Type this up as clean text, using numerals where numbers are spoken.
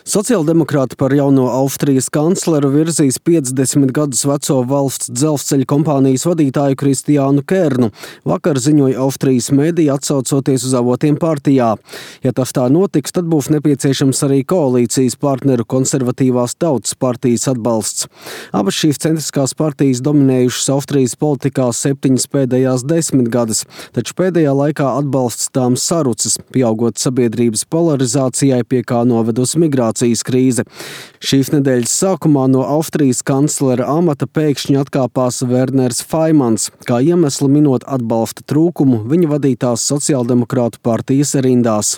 Sociāldemokrāti par jauno Austrijas kancleru virzīs 50 gadus veco valsts dzelzceļa kompānijas vadītāju Kristiānu Kernu, vakar ziņoja Austrijas mediji, atsaucoties uz avotiem partijā. Ja tas tā notiks, tad būs nepieciešams arī koalīcijas partneru Konservatīvās tautas partijas atbalsts. Abas šīs centriskās partijas dominējušas Austrijas politikā 7 pēdējās 10 gadus, taču pēdējā laikā atbalsts tām sarucis, pieaugot sabiedrības polarizācijai, pie kā novedusi migrācijas krīze. Šīs nedēļas sākumā no Austrijas kanclera amata pēkšņi atkāpās Werners Faimans, kā iemeslu minot atbalsta trūkumu viņa vadītās sociāldemokrātu partijas rindās.